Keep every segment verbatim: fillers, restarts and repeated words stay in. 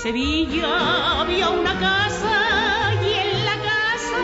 Sevilla había una casa y en la casa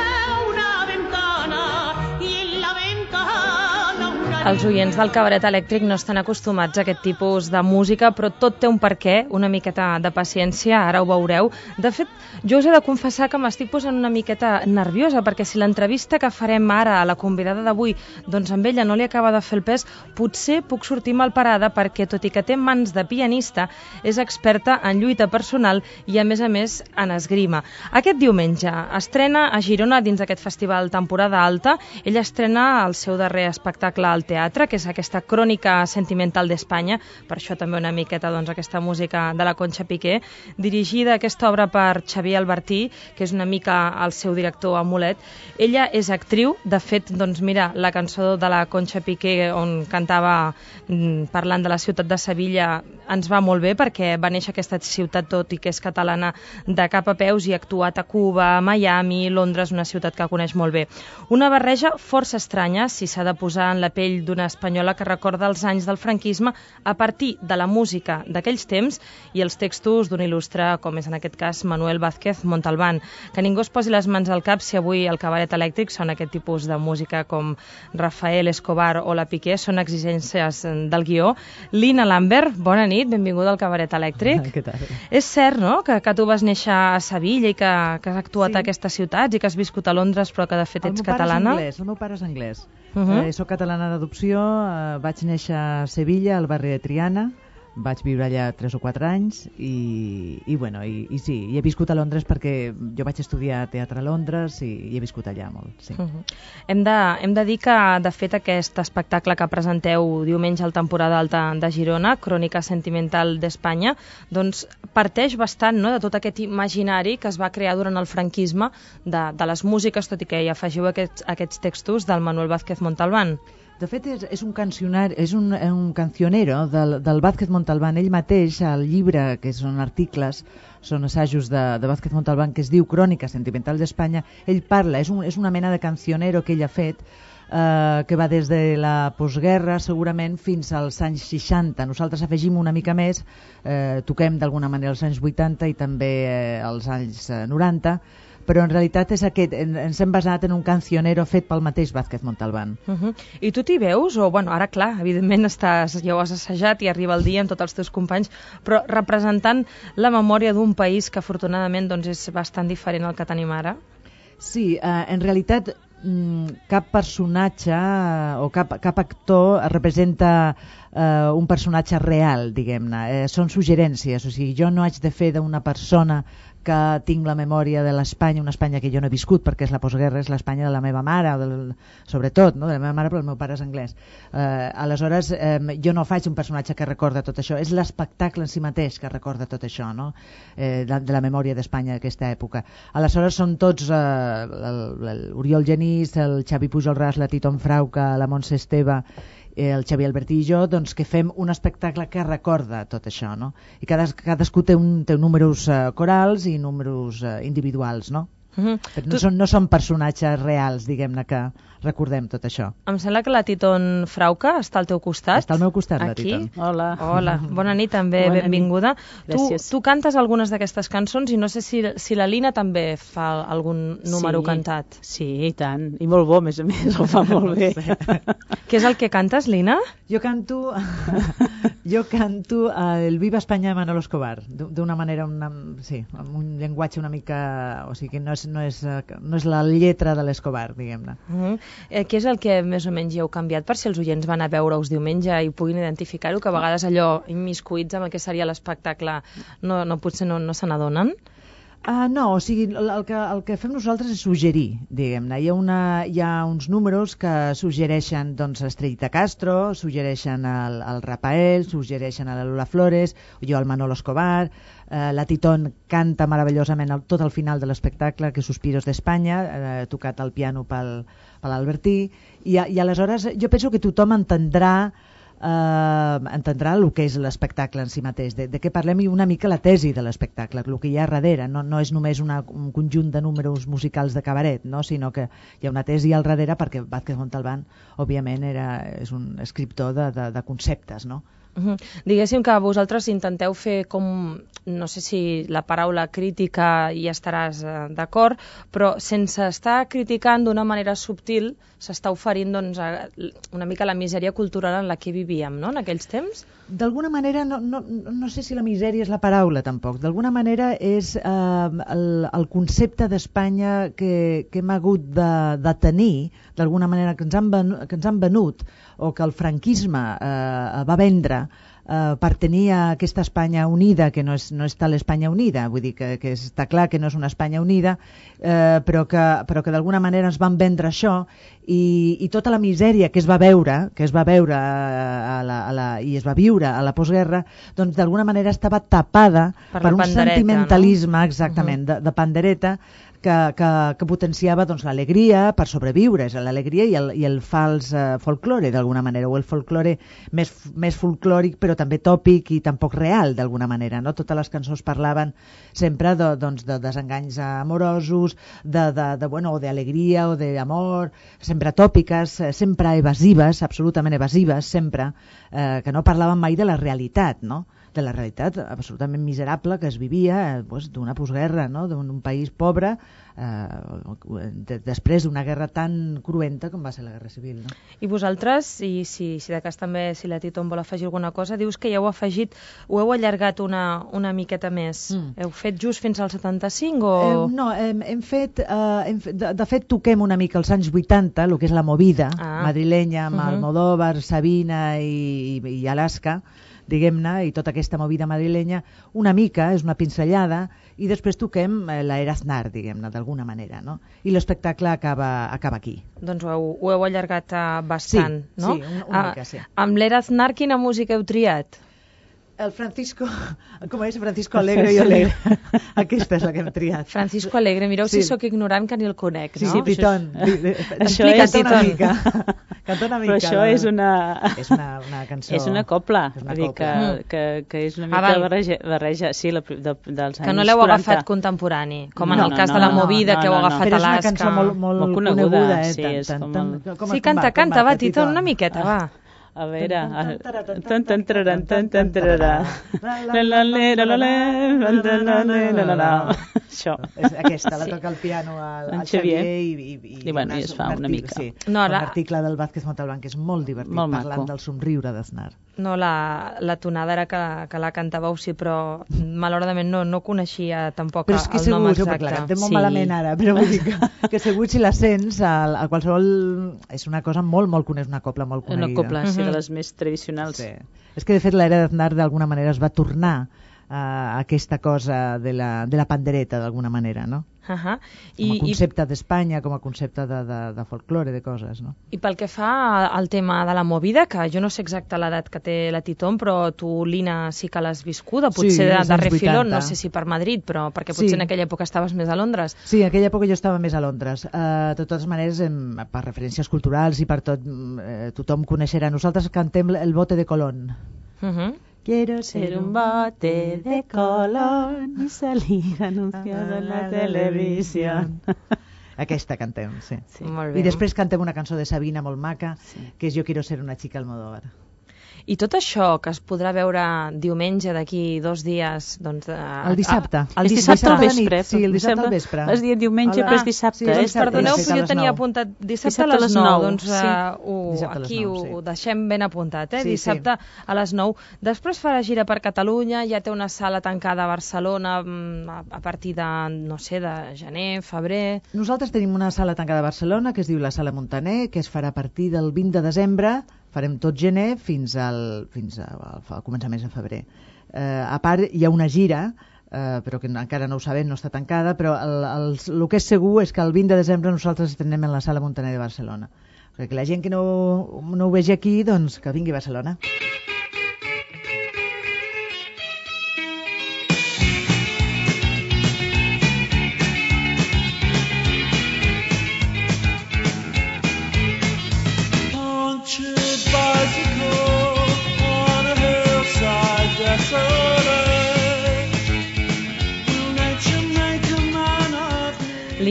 una ventana y en la ventana una... Els oients del Cabaret Elèctric no estan acostumats a aquest tipus de música, però tot té un perquè, una miqueta de paciència, ara ho veureu. De fet, jo us he de confessar que m'estic posant una miqueta nerviosa, perquè si l'entrevista que farem ara a la convidada d'avui, doncs amb ella no li acaba de fer el pes, potser puc sortir malparada, perquè tot i que té mans de pianista, és experta en lluita personal i a més a més en esgrima. Aquest diumenge estrena a Girona dins d'aquest festival Temporada Alta. Ella estrena el seu darrer espectacle al teatre, que és aquesta crònica sentimental d'Espanya, per això també una miqueta doncs, aquesta música de la Conxa Piqué, dirigida aquesta obra per Xavier Albertí, que és una mica el seu director amulet. Ella és actriu, de fet, doncs mira, la cançó de la Conxa Piqué on cantava mm, parlant de la ciutat de Sevilla ens va molt bé, perquè va néixer aquesta ciutat, tot i que és catalana, de cap a peus i ha actuat a Cuba, a Miami, Londres, una ciutat que coneix molt bé. Una barreja força estranya, si s'ha de posar en la pell d'una espanyola que recorda els anys del franquisme a partir de la música d'aquells temps i els textos d'un il·lustre, com és en aquest cas Manuel Vázquez Montalbán. Que ningú es posi les mans al cap si avui el Cabaret Elèctric són aquest tipus de música com Rafael Escobar o la Piqué, són exigències del guió. Lina Lambert, bona nit, benvinguda al Cabaret Elèctric. Què tal? És cert, no?, que, que tu vas néixer a Sevilla i que, que has actuat sí. a aquestes ciutats i que has viscut a Londres però que de fet ets catalana? El meu pare és anglès, Uh -huh. eh, soc catalana d'adopció, eh, vaig néixer a Sevilla, al barri de Triana, vaig viure allà tres o quatre anys i, i, bueno, i, i sí, i he viscut a Londres perquè jo vaig estudiar teatre a Londres i, i he viscut allà molt. Sí. Uh -huh. hem, de, hem de dir que, de fet, aquest espectacle que presenteu diumenge al Temporada Alta de Girona, Crònica Sentimental d'Espanya, doncs parteix bastant, no?, de tot aquest imaginari que es va crear durant el franquisme de, de les músiques, tot i que hi afegiu aquests, aquests textos del Manuel Vázquez Montalbán. De fet, és, és un cancionar, és un, un cancionero del, del Vázquez Montalbán. Ell mateix, al llibre, que són articles, són assajos de, de Vázquez Montalbán, que es diu Crònica Sentimental d'Espanya, ell parla, és, un, és una mena de cancionero que ell ha fet, eh, que va des de la postguerra, segurament, fins als anys seixanta. Nosaltres afegim una mica més, eh, toquem d'alguna manera els anys vuitanta i també eh, els anys eh, noranta, però en realitat és aquest, ens hem basat en un cancionero fet pel mateix Vázquez Montalbán. Uh -huh. I tu t'hi veus? O, bueno, ara clar, evidentment estàs, ja ho has assajat i arriba el dia amb tots els teus companys, però representant la memòria d'un país que afortunadament doncs, és bastant diferent al que tenim ara? Sí, eh, en realitat cap personatge o cap, cap actor representa eh, un personatge real, diguem-ne. Eh, són suggerències, o sigui, jo no haig de fer d'una persona que tinc la memòria de l'Espanya, una Espanya que jo no he viscut perquè és la postguerra, és l'Espanya de la meva mare, del, sobretot, no? De la meva mare, però el meu pare és anglès. Eh, aleshores, eh, jo no faig un personatge que recorda tot això, és l'espectacle en si mateix que recorda tot això, no? eh, de, de la memòria d'Espanya d'aquesta època. Aleshores són tots, eh, l'Oriol Genís, el Xavi Pujol Ras, la Titon Frauca, la Montse Esteve, el Xavier Albertí i jo, doncs, que fem un espectacle que recorda tot això, no? I cades, cadascú té, un, té números uh, corals i números uh, individuals, no? Uh-huh. Però no, tu... són, no són personatges reals, diguem-ne, que recordem tot això. Em sembla que la Titon Frauca està al teu costat. Està al meu costat, aquí. La Titon. Hola. Hola, bona nit també, bona benvinguda. Nit. Tu, tu cantes algunes d'aquestes cançons i no sé si, si la Lina també fa algun número sí, cantat. Sí, i tant. I molt bo, a més a més, ho fa molt bé. Què és el que cantes, Lina? Jo canto jo canto el Viva Espanya de Manolo Escobar, d'una manera, una, sí, amb un llenguatge una mica... O sigui, no és, no és, no és la lletra de l'Escobar, diguem-ne. Uh-huh. Eh, què és el que més o menys hi heu canviat per si els oients van a veure-us diumenge i puguin identificar-ho, que a vegades allò immiscuïts amb el que seria l'espectacle no, no, potser no, no se n'adonen? Uh, no, o sigui, el, el, que, el que fem nosaltres és suggerir, diguem-ne. Hi ha, una, hi ha uns números que suggereixen doncs, Estrellita Castro, suggereixen el, el Rafael, suggereixen a la Lola Flores, jo el Manolo Escobar, uh, la Titon canta meravellosament el, tot el final de l'espectacle, que és Suspiros d'Espanya, uh, tocat al piano pel, per l'Albertí, i, i aleshores jo penso que tothom entendrà Uh, entendrà el que és l'espectacle en si mateix, de, de què parlem i una mica la tesi de l'espectacle, el que hi ha darrere, no, no és només una, un conjunt de números musicals de cabaret, no? Sinó que hi ha una tesi al darrere perquè Vázquez Montalbán, òbviament, era, és un escriptor de, de, de conceptes, no? Uh-huh. Diguéssim que vosaltres intenteu fer com, no sé si la paraula crítica hi estaràs eh, d'acord, però sense estar criticant d'una manera subtil s'està oferint doncs, a, una mica la misèria cultural en la que vivíem, no?, en aquells temps. D'alguna manera, no, no, no sé si la misèria és la paraula tampoc, d'alguna manera és eh, el, el concepte d'Espanya que, que hem hagut de, de tenir, d'alguna manera que ens, han venut, que ens han venut, o que el franquisme eh, va vendre, Uh, per tenir aquesta Espanya unida, que no és, no és tal Espanya unida, vull dir que, que està clar que no és una Espanya unida, uh, però que, però que d'alguna manera ens van vendre això, i, i tota la misèria que es va veure, que es va veure a la, a la, i es va viure a la postguerra, doncs d'alguna manera estava tapada per, per un sentimentalisme, no? Exactament, uh-huh. de, de pandereta, que, que, que potenciava doncs, l'alegria per sobreviure, és l'alegria i el, i el fals eh, folklore d'alguna manera, o el folklore més, més folclòric però també tòpic i tampoc real d'alguna manera, no? Totes les cançons parlaven sempre de, doncs, de desenganys amorosos, de, de, de, bueno, o d'alegria o d'amor, sempre tòpiques, sempre evasives, absolutament evasives, sempre, eh, que no parlaven mai de la realitat, no? De la realitat absolutament miserable que es vivia eh, pues, d'una postguerra, no? D'un país pobre, eh, de, després d'una guerra tan cruenta com va ser la Guerra Civil. No? I vosaltres, i si, si de cas també, si la Titon vol afegir alguna cosa, dius que ja heu afegit, ho heu allargat una, una miqueta més. Mm. Heu fet just fins al setanta-cinc o...? Eh, no, hem, hem fet, eh, hem fet de, de fet toquem una mica als anys vuitanta, el que és la movida ah. madrilenya, amb uh-huh. Almodóvar, Sabina i, i, i Alaska, diguem-ne, i tota aquesta movida madrilenya, una mica, és una pinzellada, i després toquem eh, l'era Aznar, diguem-ne, d'alguna manera, no? I l'espectacle acaba, acaba aquí. Doncs ho heu, ho heu allargat uh, bastant, sí, no? Sí, una, una mica, sí. Uh, amb l'era Aznar, quina música heu triat? El Francisco, com és Francisco Alegre i Alegre. Aquesta és la que hem triat. Francisco Alegre, mireu sí. si sóc ignorant que ni el conec, sí, no? Sí, Titón. Això és una mica. Canta una mica. Però això és una... És una, una cançó... És una copla. És una dir copla. que, que, que és una mica ah, barreja, barreja, sí, la, de, dels anys que no l'heu quaranta. agafat contemporani, com no, en el no, cas no, de la no, movida no, que heu no, agafat no. a l'Asca. Però és una cançó molt, molt, molt coneguda, coneguda eh? Sí, és tan, tan, tan, com sí, canta, canta, va, Tito, una miqueta, va. A veure... Tan tan taran tan tan tararà. La la la la la la la. Això. És aquesta, la toca el piano al Xavier i, i, i, I, bueno, i es fa una mica. Sí, no, un article del Vázquez Montalbán que és molt divertit, molt parlant del somriure d'Aznar. No, la, la tonada era que, que la cantàveu, sí, però malauradament no, no coneixia tampoc però és que el segur, nom exacte. Però clar, cantem molt sí. malament ara, però vull dir que, que segur si la sents, a, a qualsevol... És una cosa molt, molt coneguda, una copla molt coneguda. Una copla, sí, de les més tradicionals. Sí. És que, de fet, l'era d'Aznar d'alguna manera es va tornar a aquesta cosa de la, de la pandereta, d'alguna manera, no? Uh -huh. I, com a concepte i... d'Espanya, com a concepte de, de, de folklore, de coses, no? I pel que fa al tema de la movida, que jo no sé exacte l'edat que té la Titon, però tu, Lina, sí que l'has viscuda, potser sí, de, de refilón, no sé si per Madrid, però perquè potser sí. en aquella època estaves més a Londres. Sí, en aquella època jo estava més a Londres. Uh, de totes maneres, em, per referències culturals i per tot, eh, tothom coneixerà. Nosaltres cantem el bote de Colón. Uh -huh. Quiero ser un bote de Colón y salir anunciado en la televisión. Aquesta cantem, sí. sí. Molt bé. I després cantem una cançó de Sabina molt maca, sí. que és Jo quiero ser una chica Almodóvar. I tot això que es podrà veure diumenge d'aquí dos dies... Doncs, uh, el dissabte. Ah, el dissabte al vespre. Sí, el dissabte al vespre. Has dit diumenge, la... però és dissabte. Ah, sí, eh? dissabte. Perdoneu, sí, però jo tenia apuntat dissabte, dissabte a les nou. Doncs uh, sí. ho, aquí nou, ho, sí. ho deixem ben apuntat, eh? Sí, dissabte sí. a les nou. Després farà gira per Catalunya, ja té una sala tancada a Barcelona a, a partir de, no sé, de gener, febrer... Nosaltres tenim una sala tancada a Barcelona que es diu la Sala Montaner, que es farà a partir del vint de desembre, farem tot gener fins al, fins a, a començaments de febrer. Eh, a part, hi ha una gira, eh, però que encara no ho sabem, no està tancada, però el, el, el que és segur és que el vint de desembre nosaltres estrenem en la Sala Montaner de Barcelona. Perquè la gent que no, no ho vegi aquí, doncs que vingui a Barcelona.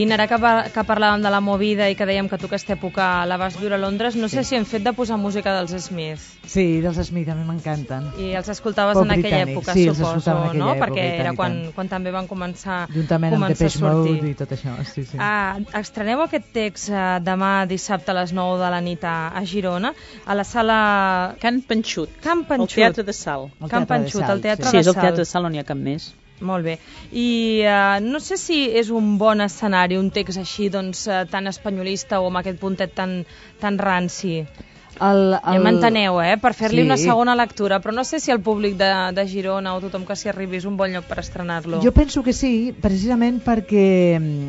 Lina, ara que, par que parlàvem de la movida i que dèiem que tu aquesta època la vas viure a Londres, no sé si hem fet de posar música dels Smith. Sí, dels Smith, a mi m'encanten. I els escoltaves Pop en aquella britànic, època, sí, els suposo, escoltava en aquella no? època, Perquè i tant, era i quan, tant. quan també van començar, Juntament amb començar a Depeche sortir. Mode i tot això, sí, sí. Ah, estreneu aquest text eh, demà dissabte a les nou de la nit a, a Girona, a la sala Can Panxut, Can Panxut. el Teatre de Sal. El Can Teatre de Panxut, Sal, el Teatre Sí, de és el Sal. Teatre de Sal, no n'hi ha cap més. Molt bé. I uh, no sé si és un bon escenari, un text així, doncs, uh, tan espanyolista o amb aquest puntet tan, tan ranci. El, el... Ja m'enteneu, eh? Per fer-li Sí. una segona lectura, però no sé si el públic de, de Girona o tothom que s'hi arribi és un bon lloc per estrenar-lo. Jo penso que sí, precisament perquè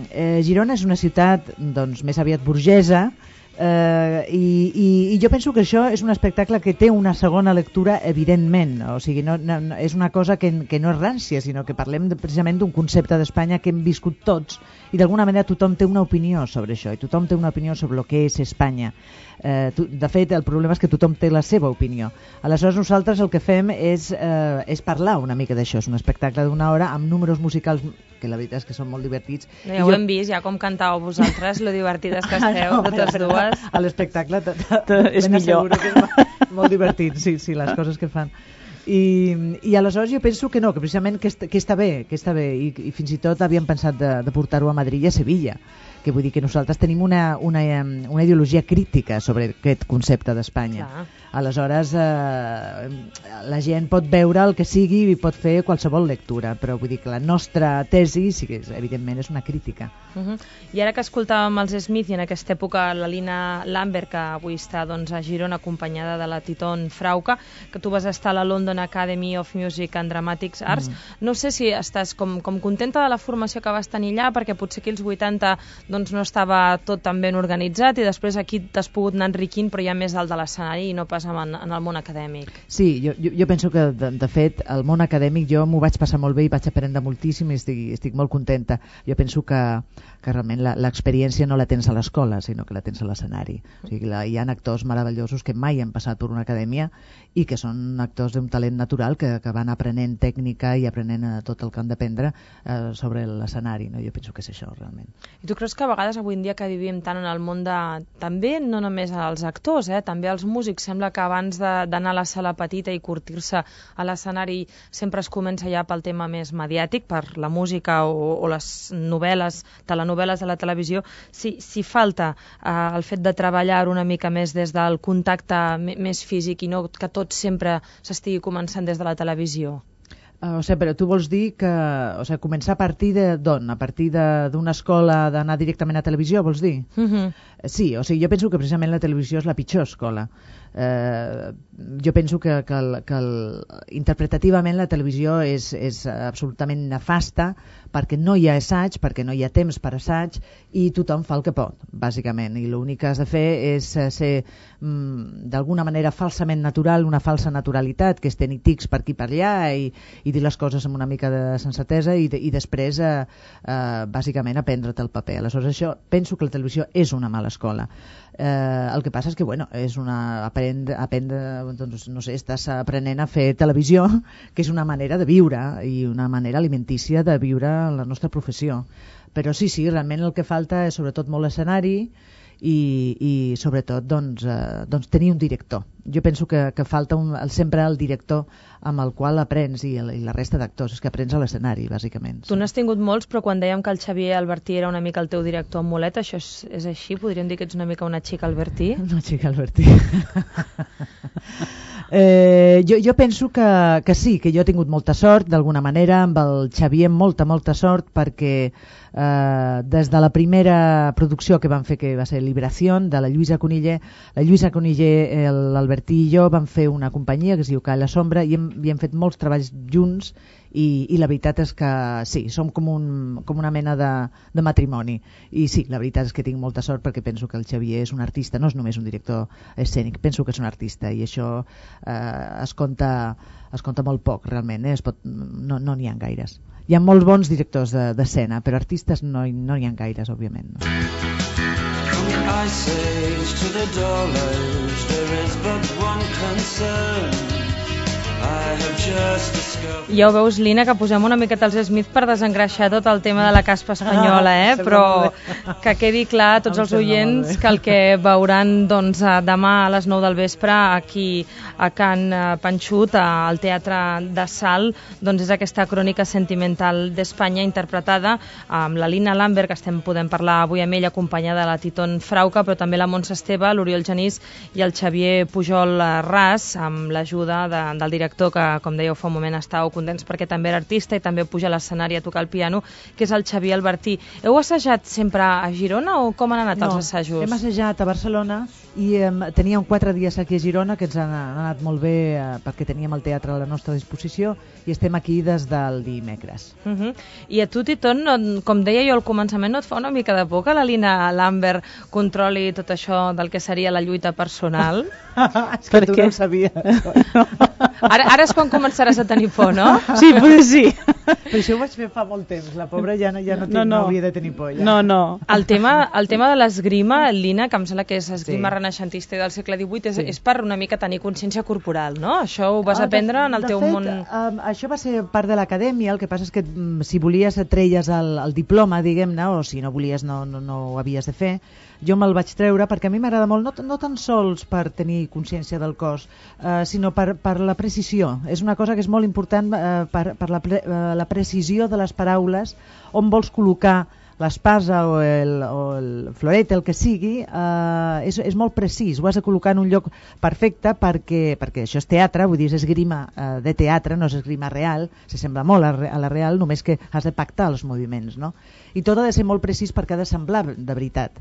eh, Girona és una ciutat doncs, més aviat burgesa, eh, i, i, i jo penso que això és un espectacle que té una segona lectura evidentment, o sigui, no, no, no, és una cosa que, que no és rància, sinó que parlem de, precisament d'un concepte d'Espanya que hem viscut tots i d'alguna manera tothom té una opinió sobre això i tothom té una opinió sobre el que és Espanya. Eh, tu, de fet, el problema és que tothom té la seva opinió. Aleshores nosaltres el que fem és, eh, és parlar una mica d'això. És un espectacle d'una hora amb números musicals que la veritat és que són molt divertits. Ja ho jo... hem vist, ja com cantàveu vosaltres, lo divertides que esteu, Ah, no, totes però, dues. A l'espectacle t- t- És ben millor. asseguro que és molt, molt divertit, sí, sí, les coses que fan. I, i aleshores jo penso que no, que precisament que, est que està bé, que està bé i, i fins i tot havíem pensat de, de portar-ho a Madrid i a Sevilla, que vull dir que nosaltres tenim una, una, em, una ideologia crítica sobre aquest concepte d'Espanya. Clar. Aleshores eh, la gent pot veure el que sigui i pot fer qualsevol lectura, però vull dir que la nostra tesi sí que és, evidentment és una crítica. Uh -huh. I ara que escoltàvem els Smith i en aquesta època la Lina Lambert, que avui està doncs, a Girona acompanyada de la Titon Frauca, que tu vas estar a la London Academy of Music and Dramatics Arts, mm. no sé si estàs com, com contenta de la formació que vas tenir allà, perquè potser aquí als vuitanta doncs, no estava tot tan ben organitzat i després aquí t'has pogut anar enriquint però ja més dalt de l'escenari i no pas en, en el món acadèmic. Sí, jo, jo, jo penso que de, de fet el món acadèmic jo m'ho vaig passar molt bé i vaig aprendre moltíssim i estic, estic molt contenta. Jo penso que, que realment l'experiència no la tens a l'escola, sinó que la tens a l'escenari. O sigui, la, hi ha actors meravellosos que mai han passat per una acadèmia i que són actors d'un talent natural que, que van aprenent tècnica i aprenent eh, tot el que han d'aprendre eh, sobre l'escenari. No? Jo penso que és això, realment. I tu creus que a vegades avui en dia que vivim tant en el món de... també no només els actors, eh? també els músics, sembla que abans d'anar a la sala petita i curtir-se a l'escenari sempre es comença ja pel tema més mediàtic, per la música o, o les novel·les, telenovel·les de la televisió. Si, si falta eh, el fet de treballar una mica més des del contacte més físic i no que tot sempre s'estigui començant des de la televisió. Uh, o sigui, però tu vols dir que o sigui, començar a partir de d'on? A partir d'una escola d'anar directament a televisió, vols dir? Uh -huh. Sí, o sigui, jo penso que precisament la televisió és la pitjor escola. Eh, jo penso que, que, el, que el, interpretativament la televisió és, és absolutament nefasta perquè no hi ha assaig, perquè no hi ha temps per assaig i tothom fa el que pot, bàsicament. I l'únic que has de fer és ser mm, d'alguna manera falsament natural, una falsa naturalitat, que és tenir tics per aquí per allà i, i dir les coses amb una mica de sensatesa i, de, i després eh, eh, bàsicament aprendre't el paper. Aleshores això, penso que la televisió és una mala escola. Eh, el que passa és que bueno, és una aprendre, aprendre doncs, no sé, estàs aprenent a fer televisió, que és una manera de viure i una manera alimentícia de viure la nostra professió. Però sí, sí, realment el que falta és sobretot molt escenari i, i sobretot doncs, eh, doncs tenir un director. Jo penso que, que falta un, sempre el director amb el qual aprens i, el, i la resta d'actors, és que aprens a l'escenari, bàsicament. Tu n'has tingut molts, però quan dèiem que el Xavier Albertí era una mica el teu director amb mulet, això és, és així? Podríem dir que ets una mica una xica Albertí? Una xica Albertí. Eh, jo, jo penso que, que sí, que jo he tingut molta sort d'alguna manera, amb el Xavier molta, molta sort, perquè eh, des de la primera producció que van fer, que va ser Liberación, de la Lluïsa Coniller, la Lluïsa Coniller, l'Albertí i jo vam fer una companyia que es diu Call a la Sombra i hem, i hem fet molts treballs junts i, i la veritat és que sí, som com, un, com una mena de, de matrimoni i sí, la veritat és que tinc molta sort perquè penso que el Xavier és un artista, no és només un director escènic, penso que és un artista i això eh, es compta es compta molt poc realment, eh? es pot, no n'hi no ha gaires. Hi ha molts bons directors d'escena, de, però artistes no n'hi no ha gaires, òbviament. No? From the ice age to the doll age, there is but one concern. I have just discovered. Ja ho veus, Lina, que posem una miqueta els Smith per desengreixar tot el tema de la caspa espanyola, eh? Però que quedi clar a tots els oients que el que veuran doncs, demà a les nou del vespre aquí a Can Panxut, al Teatre de Sal, doncs és aquesta crònica sentimental d'Espanya interpretada amb la Lina Lambert, que estem podem parlar avui amb ella, acompanyada de la Titon Frauca, però també la Montse Esteve, l'Oriol Genís i el Xavier Pujol Ras, amb l'ajuda de, del director, que com dèieu fa un moment estàveu contents perquè també era artista i també puja a l'escenari a tocar el piano, que és el Xavier Albertí. Heu assajat sempre a Girona o com han anat no, els assajos? Hem assajat a Barcelona i eh, teníem quatre dies aquí a Girona, que ens han, han anat molt bé eh, perquè teníem el teatre a la nostra disposició i estem aquí des del dimecres. Uh -huh. I a tu, Titon, no, com deia jo al començament, no et fa una mica de por que la Lina Lambert controli tot això del que seria la lluita personal? És que tu no ho sabies. Ara, ara és quan començaràs a tenir por, no? Sí, potser sí. Però això ho vaig fer fa molt temps. La pobra ja no, ja no, no, no. no hauria de tenir por. Ja. No, no. El tema, el tema de l'esgrima, Lina, que em sembla que és esgrima sí. renaixentista del segle divuit, és, sí. és per una mica tenir consciència corporal, no? Això ho vas ah, aprendre de, en el de teu fet, món... Um, això va ser part de l'acadèmia, el que passa és que um, si volies et treies el, el diploma, diguem-ne, o si no volies no, no, no ho havies de fer. Jo me'l vaig treure perquè a mi m'agrada molt, no, no tan sols per tenir consciència del cos, eh, sinó per, per la precisió. És una cosa que és molt important eh, per, per la, pre, eh, la precisió de les paraules, on vols col·locar l'espasa o el, o el floret, el que sigui, eh, és, és molt precís, ho has de col·locar en un lloc perfecte perquè, perquè això és teatre, vull dir, és esgrima eh, de teatre, no és esgrima real, s'assembla molt a, a la real, només que has de pactar els moviments, no? I tot ha de ser molt precís perquè ha de semblar de veritat.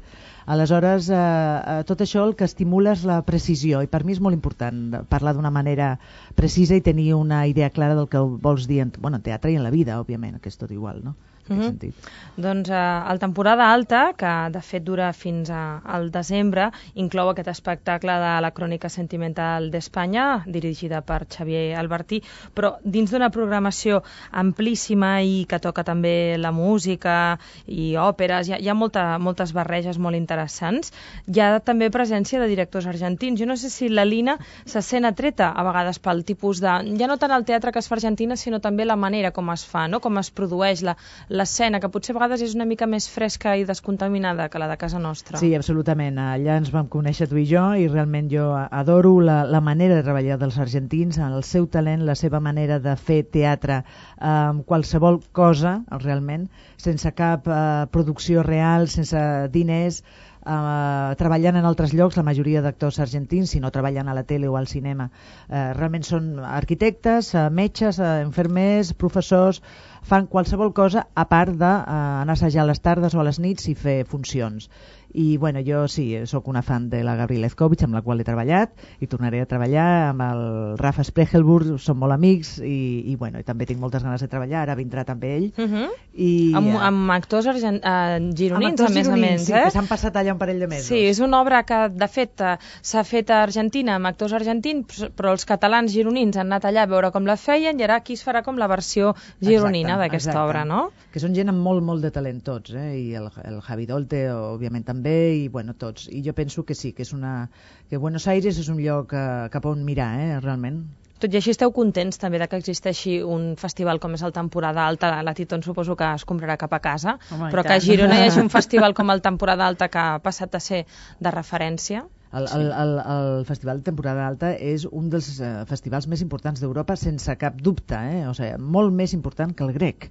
Aleshores, eh, tot això el que estimula és la precisió i per mi és molt important parlar d'una manera precisa i tenir una idea clara del que vols dir en, bueno, en teatre i en la vida, òbviament, que és tot igual, no? Uh -huh. Doncs uh, el temporada alta, que de fet dura fins a, al desembre, inclou aquest espectacle de la crònica sentimental d'Espanya, dirigida per Xavier Albertí, però dins d'una programació amplíssima i que toca també la música i òperes, hi ha, hi ha molta, moltes barreges molt interessants. Hi ha també presència de directors argentins. Jo no sé si la Lina se sent atreta a vegades pel tipus de... ja no tant el teatre que es fa a Argentina, sinó també la manera com es fa, no? Com es produeix la l'escena, que potser a vegades és una mica més fresca i descontaminada que la de casa nostra. Sí, absolutament. Allà ens vam conèixer tu i jo i realment jo adoro la, la manera de treballar dels argentins, el seu talent, la seva manera de fer teatre amb eh, qualsevol cosa, realment, sense cap eh, producció real, sense diners, Uh, treballant en altres llocs, la majoria d'actors argentins, si no treballen a la tele o al cinema, uh, realment són arquitectes, uh, metges, uh, infermers, professors, fan qualsevol cosa a part d'anar uh, a assajar a les tardes o a les nits i fer funcions. I bueno, jo sí, sóc una fan de la Gabriela Ezkovich, amb la qual he treballat i tornaré a treballar amb el Rafa Sprechelburg, som molt amics i, i bueno, i també tinc moltes ganes de treballar, ara vindrà també ell. Uh -huh. I, amb, amb actors argent, uh, gironins, amb a més gironins, a més, sí, eh? que s'han passat allà un parell de mesos. Sí, és una obra que de fet s'ha fet a Argentina amb actors argentins, però els catalans gironins han anat allà a veure com la feien i ara aquí es farà com la versió gironina d'aquesta obra, no? Que són gent amb molt, molt de talent tots, eh? I el, el Javi Dolte, òbviament també, i bueno, tots. I jo penso que sí, que és una... que Buenos Aires és un lloc eh, cap on mirar, eh? Realment. Tot i així esteu contents també de que existeixi un festival com és el Temporada Alta. La Titon suposo que es comprarà cap a casa, Home, però que a Girona hi hagi un festival com el Temporada Alta que ha passat a ser de referència. El, el, el, el Festival de Temporada Alta és un dels eh, festivals més importants d'Europa, sense cap dubte, eh? O sigui, molt més important que el grec.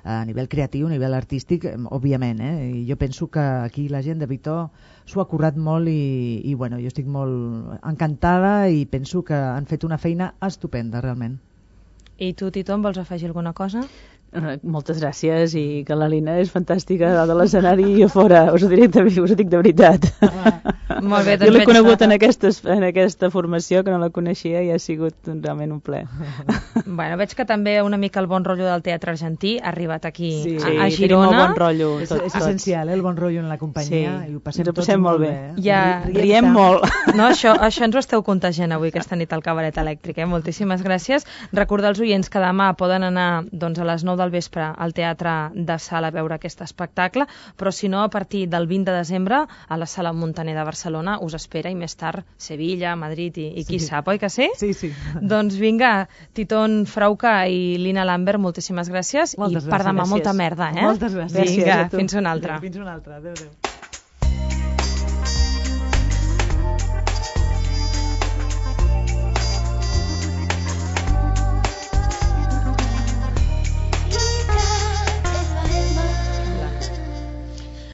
A nivell creatiu, a nivell artístic, òbviament, eh? I jo penso que aquí la gent de Vitó s'ho ha currat molt i, i bueno, jo estic molt encantada i penso que han fet una feina estupenda, realment. I tu, Titon, vols afegir alguna cosa? Moltes gràcies i que la Lina és fantàstica dalt de l'escenari i a fora, us ho, diré, us ho dic de veritat. Ah, molt bé, doncs jo l'he conegut en aquesta, en aquesta formació, que no la coneixia i ha sigut realment un ple. Bueno, veig que també una mica el bon rotllo del teatre argentí ha arribat aquí sí, a, a sí, Girona. Sí, bon rotllo. És, és essencial, eh, el bon rotllo en la companyia. Sí, i ho passem, ens ho passem molt bé. bé eh? Ja, riem, riem molt. No, això, això ens ho esteu contagiant avui aquesta nit al Cabaret Elèctric. Eh? Moltíssimes gràcies. Recordar als oients que demà poden anar doncs, a les nou del vespre al Teatre de Sala a veure aquest espectacle, però si no, a partir del vint de desembre a la Sala Montaner de Barcelona us espera, i més tard Sevilla, Madrid i, i qui Sí. sap, oi que sí? Sí, sí. Doncs vinga, Titon Frauca i Lina Lambert, moltíssimes gràcies, Moltes i per demà gràcies. molta merda, eh? Moltes gràcies. Vinga, Gràcies a tu. fins una altra. Fins una altra. Adéu, adéu.